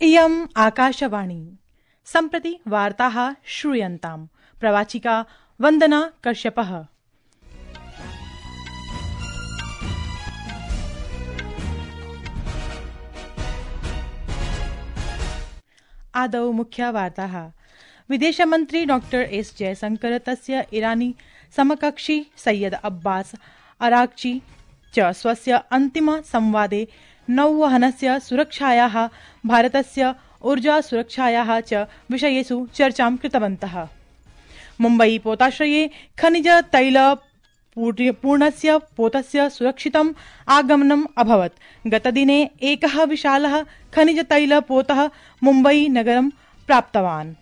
इयम् आकाशवाणी सम्प्रति वार्ताः श्रूयन्ताम्। प्रवाचिका वन्दना कश्यपः। आदौ मुख्या वार्ताः। विदेशमन्त्री डॉक्टर एस जयशंकर तस्य इरानी समकक्षी सैयद अब्बास अराक्ची च स्वस्य अन्तिम संवादे नौवहनस्य सुरक्षायाः भारतस्य ऊर्जा सुरक्षायाः च विषयेषु चर्चां कृतवन्तः। मुम्बई पोताश्रये खनिज तैल पूर्णस्य पोतस्य सुरक्षितम् आगमनम् अभवत्। गतदिने एकः विशालः खनिज तैल पोतः मुम्बई नगरं प्राप्तवान्।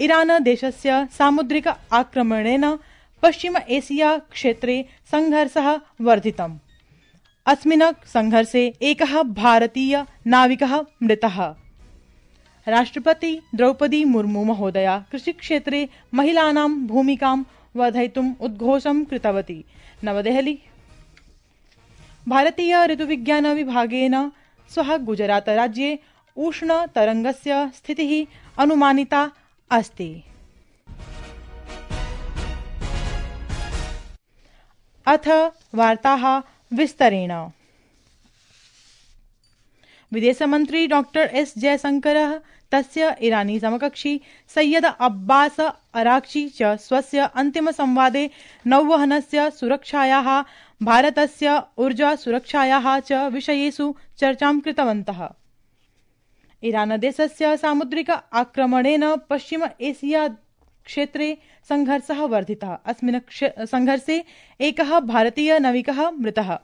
ईरान देशस्य सामुद्रिक आक्रमणेन पश्चिम एशिया क्षेत्रे संघर्षः वर्धितम्। अस्मिन् संघर्षे एकः भारतीय नाविकः मृतः। राष्ट्रपति द्रौपदी मुर्मू महोदया कृषिक्षेत्रे महिलानां भूमिकां वर्धयितुम् उद्घोषं कृतवती। नवदेहली। भारतीय ऋतुविज्ञान विभागेन श्वः गुजरात राज्ये उष्णतरङ्गस्य स्थितिः अनुमानिता अस्ति। अथ वार्ताः विस्तरेण। विदेशमन्त्री डॉक्टर एस जयशंकरः तस्य इरानी समकक्षी सैयद अब्बास अराक्ची च स्वस्य अन्तिमसंवादे नौवहनस्य सुरक्षायाः भारतस्य ऊर्जा सुरक्षायाः च विषयेषु चर्चां कृतवन्तः। ईरान देशस्य सामुद्रिक आक्रमणेन पश्चिम एशिया क्षेत्रे संघर्षः वर्धितः। अस्मिन् संघर्षे एकः भारतीय नाविकः मृतः।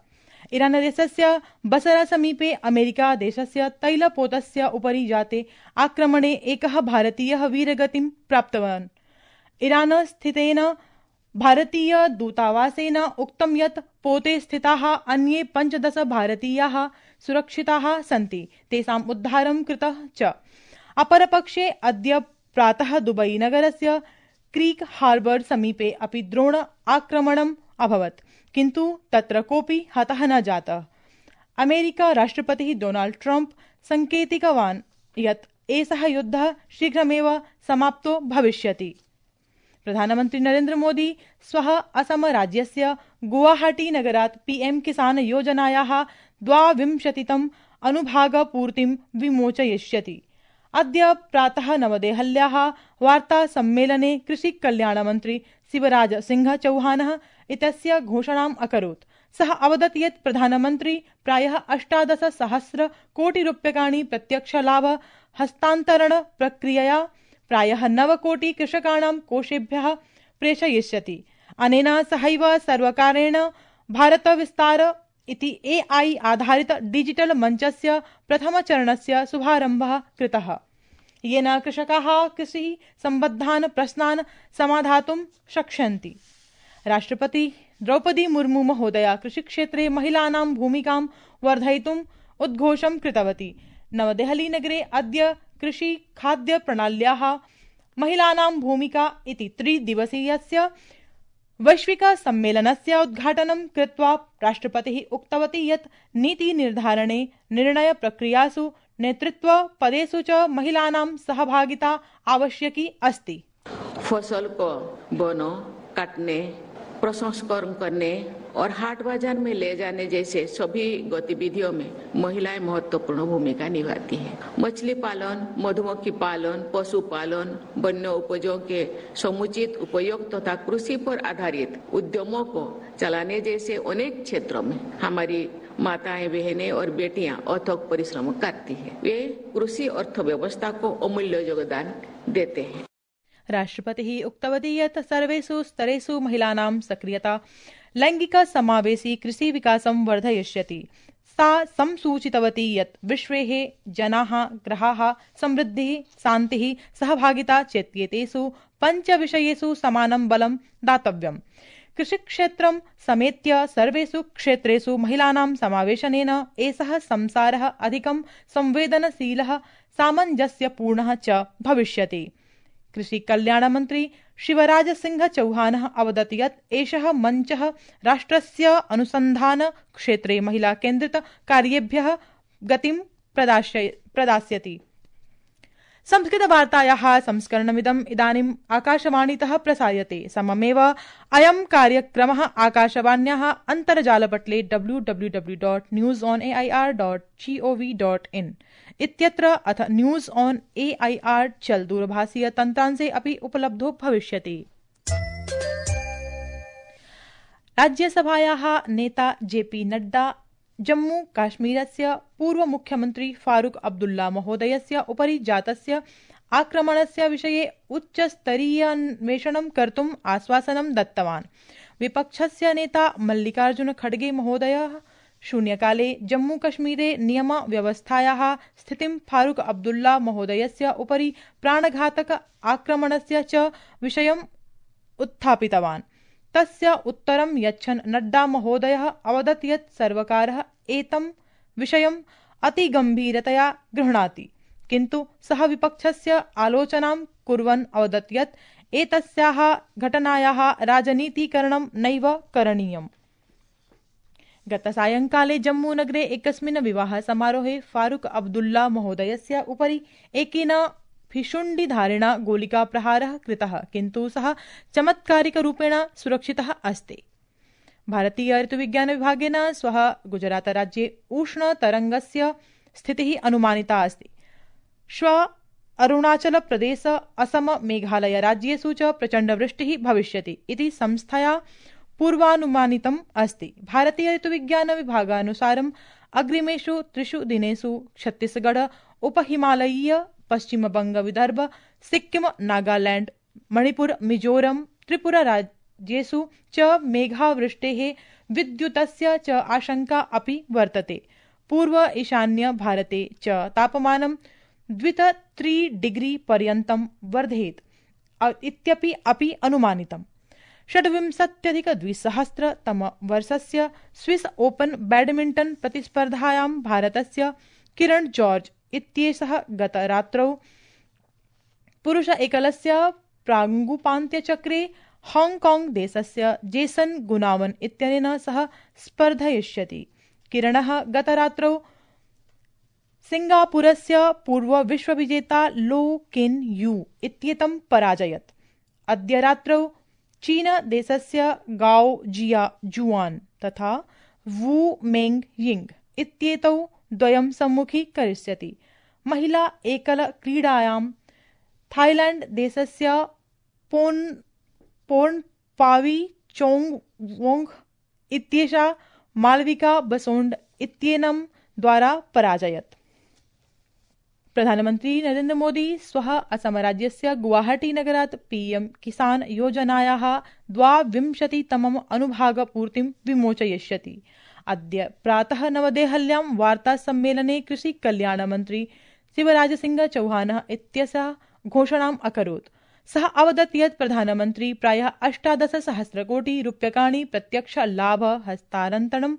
ईरान देशस्य बसरा समीपे अमेरिका देशस्य तैलपोतस्य उपरि जाते आक्रमणे एकः भारतीयः वीरगतिं प्राप्तवान्। ईरान स्थितेन भारतीय दूतावासेन उक्तं यत् पोते स्थिताः अन्ये 15 भारतीयाः सुरक्षिताः सन्ति। तेषाम् उद्धारं कृतः च। अपरपक्षे अद्य प्रातः दुबई नगरस्य क्रीक हार्बर समीपे अपि ड्रोन आक्रमणम् अभवत्, किन्तु तत्र कोऽपि हतः न जातः। अमेरिका राष्ट्रपतिः डोनाल्ड ट्रम्प संकेतितवान् यत् एषः युद्धः शीघ्रमेव समाप्तो भविष्यति। प्रधानमन्त्री नरेन्द्र मोदी श्वः असम राज्यस्य गुवाहाटी नगरात् पीएम किसान योजनायाः 22तम् अनुभागपूर्तिं विमोचयिष्यति। अद्य प्रातः नवदेहल्याः वार्ता सम्मेलने कृषिकल्याणमन्त्री शिवराज सिंह चौहानः इत्यस्य घोषणाम् अकरोत्। सः अवदत् यत् प्रधानमन्त्री प्रायः 18,000 कोटिरूप्यकाणि प्रत्यक्षलाभ हस्तान्तरण प्रक्रियया प्रायः 9 कोटि कृषकाणां कोषेभ्यः प्रेषयिष्यति। अनेन सहैव सर्वकारेण भारत विस्तार इति AI आधारित डिजिटल मञ्चस्य प्रथमचरणस्य शुभारम्भः कृतः, येन कृषकाः कृषि सम्बद्धान् प्रश्नान् समाधातुं शक्ष्यन्ति। राष्ट्रपति द्रौपदी मुर्मू महोदया कृषिक्षेत्रे महिलानां भूमिकां वर्धयितुम् उद्घोषं कृतवती। नवदेहली नगरे अद्य कृषि खाद्य प्रणाल्याः महिलानां भूमिका इति 3 दिवसीयस्य वैश्विक सम्मेलनस्य उद्घाटनं कृत्वा राष्ट्रपतिः उक्तवती यत् नीति निर्धारणे निर्णय प्रक्रियासु नेतृत्व पदेषु च महिलानां सहभागिता आवश्यकी अस्ति। फसल को बोनो, काटने, प्रसंस्करण करने और हाट बाजार में ले जाने जैसे सभी गतिविधियों में महिलाएं महत्वपूर्ण भूमिका निभाती हैं। मछली पालन, मधुमक्खी पालन, पशुपालन, वन्य उपजों के समुचित उपयोग तथा कृषि पर आधारित उद्यमों को चलाने जैसे अनेक क्षेत्रों में हमारी माताएं, बहनें और बेटियां अथक परिश्रम करती हैं। वे कृषि अर्थव्यवस्था को अमूल्य योगदान देते हैं। राष्ट्रपतिः उक्तवती यत् सर्वेषु स्तरेषु महिलानां सक्रियता लैंगिक समावेशी कृषि विकासं वर्धयिष्यति। सा संसूचितवती यत् विश्वेः जनाः ग्रहाः समृद्धिः, शान्तिः, सहभागिता चेत्येतेषु 5 विषयेषु समानं बलं दातव्यम्। कृषिक्षेत्रं समेत्य सर्वेषु क्षेत्रेषु महिलानां समावेशनेन एषः संसारः अधिकं संवेदनशीलः, सामञ्जस्यपूर्णः च भविष्यति। कृषि कल्याण मंत्री शिवराज सिंह चौहानः अवदत् यत् एषः मञ्चः राष्ट्रस्य अनुसन्धान क्षेत्रे महिला केन्द्रित कार्येभ्यः गतिं प्रदास्यति। संस्कृतवार्तायाः संस्करणमिदम् इदानीम् आकाशवाणीतः प्रसार्यते। सममेव अयं कार्यक्रमः आकाशवाण्याः अन्तर्जालपटले www.newsonair.gov.in इत्यत्र अथ न्यूज ऑन AIR चल दूरभाषीय तन्त्रांशे अपि उपलब्धो भविष्यति। राज्यसभायाः नेता JP नड्डा जम्मू काश्मीरस्य पूर्वमुख्यमन्त्री फारूक अब्दुल्ला महोदयस्य उपरि जातस्य आक्रमणस्य विषये उच्चस्तरीयान्वेषणं कर्तुम् आश्वासनं दत्तवान्। विपक्षस्य नेता मल्लिकार्जुन खड़गे महोदयः शून्यकाले जम्मूकश्मीरे नियमव्यवस्थायाः स्थितिं फारूक अब्दुल्ला महोदयस्य उपरि प्राणघातक आक्रमणस्य च विषयम् उत्थापितवान्। तस्य उत्तरं यच्छन् नड्डा महोदयः अवदत् यत् सर्वकारः एतं विषयम् अतिगम्भीरतया गृह्णाति, किन्तु सः विपक्षस्य आलोचनां कुर्वन् अवदत् यत् एतस्याः घटनायाः राजनीतीकरणं नैव करणीयम्। गतसायंकाले जम्मूनगरे एकस्मिन् विवाहसमारोहे फारूक अब्दुल्ला महोदयस्य उपरि एकेन भिशुण्डिधारिणा गोलिकाप्रहारः कृतः, किन्तु सः चमत्कारिकरूपेण सुरक्षितः अस्ति। भारतीय ऋतुविज्ञानविभागेन श्वः गुजरातराज्ये उष्णतरङ्गस्य स्थितिः अनुमानिता अस्ति। श्वः अरुणाचलप्रदेश, असम, मेघालयराज्येषु च प्रचण्डवृष्टिः भविष्यति इति संस्थया पूर्वानुमानितम् अस्ति। भारतीय ऋतुविज्ञानविभागानुसारम् अग्रिमेषु 3 दिनेषु छत्तीसगढ़, उपहिमालयीय, पश्चिमबंग, विदर्भ, सिक्किम, नागालैंड, मणिपुर, मिजोरम, त्रिपुरा राज्येषु च मेघावृष्टेः विद्युतस्य च आशंका अपि वर्तते। पूर्व ईशान्य भारते च तापमानं 2-3 डिग्री पर्यन्तं वर्धेत इत्यपि अनुमानितम्। 26-2000 स्विस ओपन बैडमिंटन प्रतिस्पर्धायां भारतस्य किरण जॉर्ज इत्येषः गतरात्रौ पुरुष एकलस्य प्रागुपान्त्यचक्रे हांगकांग देशस्य जेसन गुनावन इत्यनेन सह स्पर्धयिष्यति। किरणः गतरात्रौ सिंगापुरस्य पूर्वविश्वविजेता लो केन यू इत्येतं पराजयत्। अद्य रात्रौ चीन देशस्य गाओ जिया जुआन तथा वू मेंग यिंग इत्येतौ द्वयं सम्मुखीकरिष्यति। महिला एकल क्रीडायां थाईलैंड देशस्य पोर्नपावी चोंगवोंग इत्येषा मालविका बसोंड इत्येनं द्वारा पराजयत्। प्रधानमन्त्री नरेन्द्र मोदी श्वः असमराज्यस्य गुवाहाटी-नगरात् PM किसान योजनायाः 22तमम् अनुभागपूर्तिं विमोचयिष्यति। अद्य प्रातः नवदेहल्यां वार्तासम्मेलने कृषिकल्याणमन्त्री शिवराजसिंह चौहानः इत्यसः घोषणाम् अकरोत्। सः अवदत् यत् प्रधानमन्त्री प्रायः 18,000 कोटि रूप्यकाणि प्रत्यक्ष लाभ हस्तान्तरण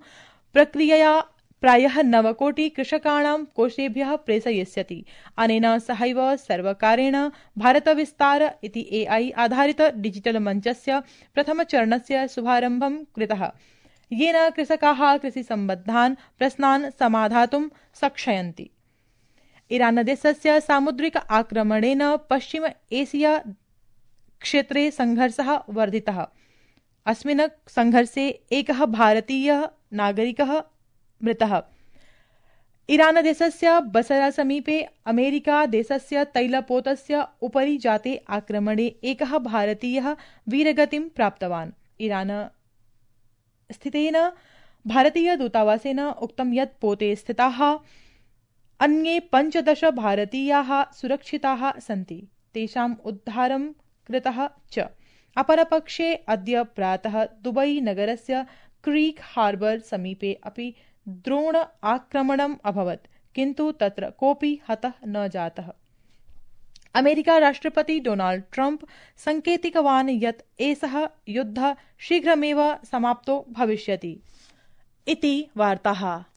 प्रक्रियया प्रायः 9 कोटि कृषकाणां कोषेभ्यः प्रेषयिष्यति। अनेन सहैव सर्वकारेण भारत विस्तार इति AI आधारित डिजिटल मञ्चस्य प्रथमचरणस्य शुभारम्भं कृतः, येन कृषकाः कृषिसम्बद्धान् प्रश्नान् समाधातुं शक्ष्यन्ति। ईरानदेशस्य सामुद्रिक आक्रमणेन पश्चिम एशिया क्षेत्रे संघर्षः वर्धितः। अस्मिन् संघर्षे एकः भारतीयः नागरिकः मृतः। ईरानदेशस्य बसरा समीपे अमेरिका देशस्य तैलपोतस्य उपरि जाते आक्रमणे एकः भारतीयः वीरगतिं प्राप्तवान्। ईरान स्थितेन भारतीय दूतावासेन उक्तं यत् पोते स्थिताः अन्ये 15 भारतीयाः सुरक्षिताः सन्ति, तेषाम् उद्धारं कृतः च। अपरपक्षे अद्य प्रातः दुबई नगरस्य क्रीक हार्बर समीपे अपि ड्रोन आक्रमणम् अभवत्, किन्तु तत्र कोऽपि हतः न जातः। अमेरिका राष्ट्रपति डोनाल्ड ट्रम्प संकेतितवान् यत् एषः युद्धः शीघ्रमेव समाप्तो भविष्यति इति वार्ताः।